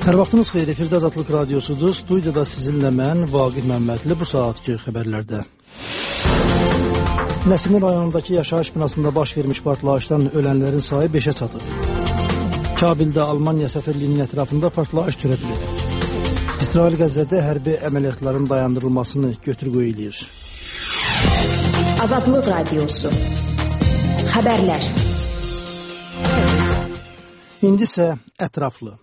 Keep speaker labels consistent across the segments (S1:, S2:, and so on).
S1: Hər vaxtınız xeyir, efirdə Azadlıq Radiosudur. Studiyada sizinlə mən, Vaqif Məmmədli, bu saatki xəbərlərdə. Nəsimi rayonundakı yaşayış binasında baş vermiş partlayışdan ölənlərin sayı 5-ə çatıb. Kabildə Almaniya səfirliyinin ətrafında partlayış törədilib. İsrail Qəzzədə hərbi əməliyyatların dayandırılmasını götür-qoy eləyir.
S2: Azadlıq Radiosu. Xəbərlər.
S1: İndi isə ətraflı.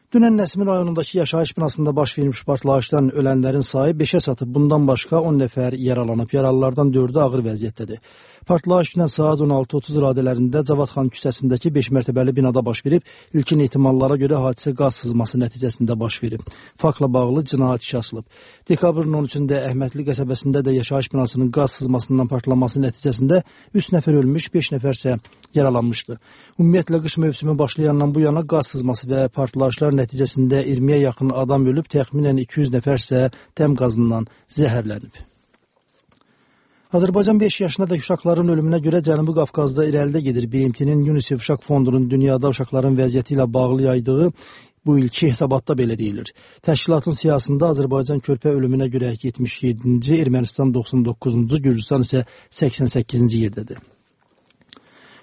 S1: Dünən Nəsimi rayonundakı yaşayış binasında baş vermiş partlayışdan ölənlərin sayı 5-ə çatıb. Bundan başqa 10 nəfər yaralanıb. Yaralılardan 4-ü ağır vəziyyətdədir. Partlayış dünən saat 16:30 radələrində Cavadxan küçəsindəki 5 mərtəbəli binada baş verib. İlkin ehtimallara görə hadisə qaz sızması nəticəsində baş verib. Faktla bağlı cinayət işi açılıb. Dekabrın 13-də Əhmədli qəsəbəsində də yaşayış binasının qaz sızmasından partlaması nəticəsində 3 nəfər ölmüş, 5 nəfər isə yaralanmışdı. Ümumiyyətlə qış mövsümü başlayandan bu yana qaz sızması və partlayışlar nəticəsində 20-yə yaxın adam ölüb, təxminən 200 nəfər isə dəm qazından zəhərlənib. Azərbaycan 5 yaşındakı uşaqların ölümünə görə Cənubi Qafqazda irəlidə gedir. BMT-nin UNICEF Uşaq Fondunun dünyada uşaqların vəziyyəti ilə bağlı yaydığı bu ilki hesabatda belə deyilir. Təşkilatın siyasında Azərbaycan körpə ölümünə görə 77-ci, Ermənistan 99-cu, Gürcüstan isə 88-ci yerdədir.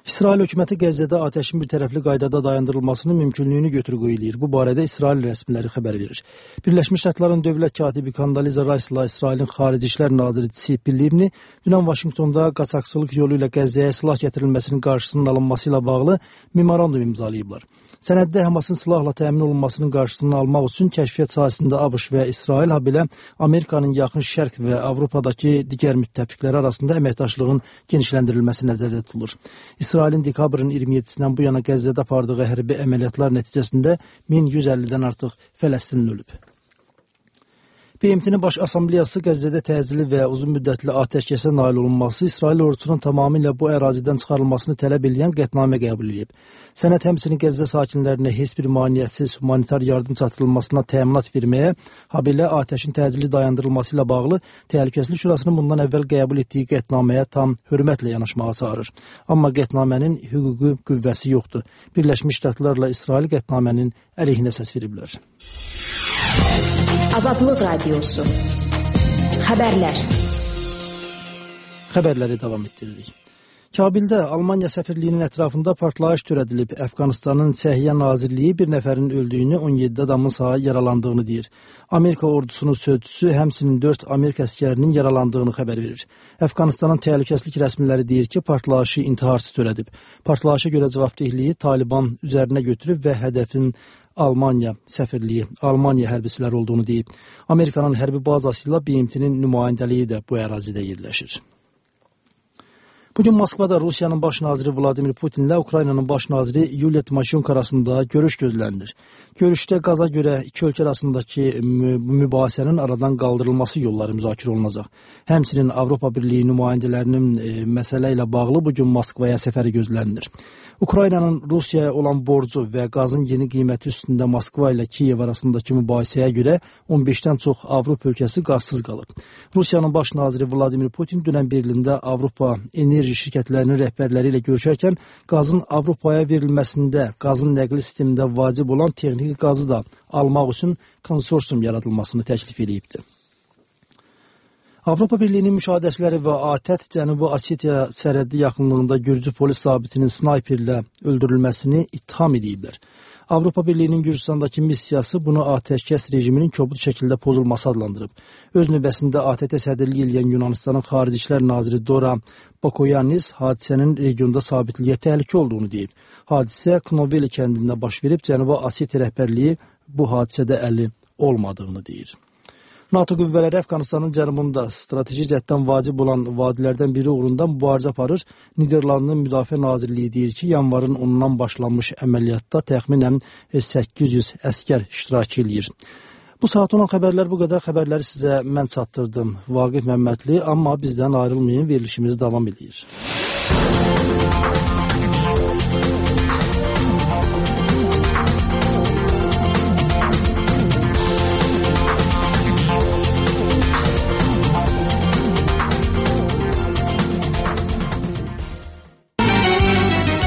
S1: İsrail hökuməti Qəzzədə atəşin bir tərəfli qaydada dayandırılmasının mümkünlüyünü götür-qoy eləyir. Bu barədə İsrail rəsmiləri xəbər verir. Birləşmiş Ştatların dövlət katibi Kondoliza Rice'la İsrailin Xarici İşlər naziri Tzipi Livni dünən Vaşinqtonda qaçaqçılıq yolu ilə Qəzzəyə silah gətirilməsinin qarşısının alınması ilə bağlı memorandum imzalayıblar. Sənəddə Həmasın silahla təmin olunmasının qarşısını almaq üçün kəşfiyyat sahəsində ABŞ və İsrail, habelə Amerikanın yaxın şərq və Avropadakı digər müttəfiqləri arasında əməkdaşlığın genişləndirilməsi nəzərdə tutulur. İsrailin dekabrın 27-sindən bu yana Qəzzədə apardığı hərbi əməliyyatlar nəticəsində 1150-dən artıq Fələstinli ölüb. BMT-nin Baş Assambleyası Qəzzədə təcili və uzun müddətli atəşkəsə nail olunması, İsrail ordusunun tamamilə bu ərazidən çıxarılmasını tələb edən qətnamə qəbul edib. Sənəd həmçinin Qəzzə sakinlərinə heç bir maneəsiz humanitar yardım çatdırılmasına təminat verməyə, habelə atəşin təcili dayandırılması ilə bağlı Təhlükəsizlik Şurasının bundan əvvəl qəbul etdiyi qətnaməyə tam hörmətlə yanaşmağa çağırır. Amma qətnamənin hüquqi qüvvəsi yoxdur. Birləşmiş Ştatlarla İsrail qətnamənin əleyhinə səs veriblər.
S2: Azadlıq Radiosu. Xəbərlər.
S1: Xəbərləri davam etdiririk. Kabildə Almaniya səfirliyinin ətrafında partlayış törədilib. Əfqanistanın Səhiyyə Nazirliyi bir nəfərin öldüyünü, 17 adamın sağa yaralandığını deyir. Amerika ordusunun sözçüsü həmçinin 4 Amerika əskərinin yaralandığını xəbər verir. Əfqanistanın təhlükəsizlik rəsmiləri deyir ki, partlayışı intiharçı törədib. Partlayışa görə cavabdehliyi Taliban üzərinə götürüb və hədəfin Almaniya səfirliyi, Almaniya hərbçiləri olduğunu deyib. Amerikanın hərbi bazası ilə BMT-nin nümayəndəliyi də bu ərazidə yerləşir. Bugün Moskvada Rusiyanın baş naziri Vladimir Putinlə Ukraynanın baş naziri Yuliya Timoşenko arasında görüş gözlənilir. Görüşdə qaza görə iki ölkə arasındakı mübahisənin aradan qaldırılması yolları müzakirə olunacaq. Həmçinin Avropa Birliyi nümayəndələrinin məsələ ilə bağlı bugün Moskvaya səfəri gözlənilir. Ukraynanın Rusiyaya olan borcu və qazın yeni qiyməti üstündə Moskva ilə Kiyev arasındakı mübahisəyə görə 15-dən çox Avropa ölkəsi qazsız qalıb. Rusiyanın baş naziri Vladimir Putin dünən Berlində Avropa enerji şirkətlərinin rəhbərləri ilə görüşərkən qazın Avropaya verilməsində, qazın nəqli sistemində vacib olan texniki qazı da almaq üçün konsorsium yaradılmasını təklif edibdir. Avropa Birliyinin müşahidəçiləri və ATƏT Cənubi Osetiya sərhəddi yaxınlığında Gürcü polis zabitinin snayperlə öldürülməsini ittiham ediblər. Avropa Birliyinin Gürcüstandakı missiyası bunu atəşkəs rejiminin kobud şəkildə pozulması adlandırıb. Öz növbəsində ATƏT sədrliyi eləyən Yunanistanın Xarici İşlər naziri Dora Bakoyannis hadisənin regionda sabitliyə təhlükə olduğunu deyib. Hadisə Knoveli kəndində baş verib, Cənubi Osetiya rəhbərliyi bu hadisədə əli olmadığını deyir. NATO qüvvələri Əfqanistanın cənubunda strateji cəhətdən vacib olan vadilərdən biri uğrunda mübarizə aparır. Niderlandın Müdafiə Nazirliyi deyir ki, yanvarın 10-dan başlanmış əməliyyatda təxminən 800 əskər iştirak edir. Bu saat olan xəbərlər bu qədər. Xəbərləri sizə mən çatdırdım. Vaqif Məmmədli, amma bizdən ayrılmayın, verilişimiz davam edir.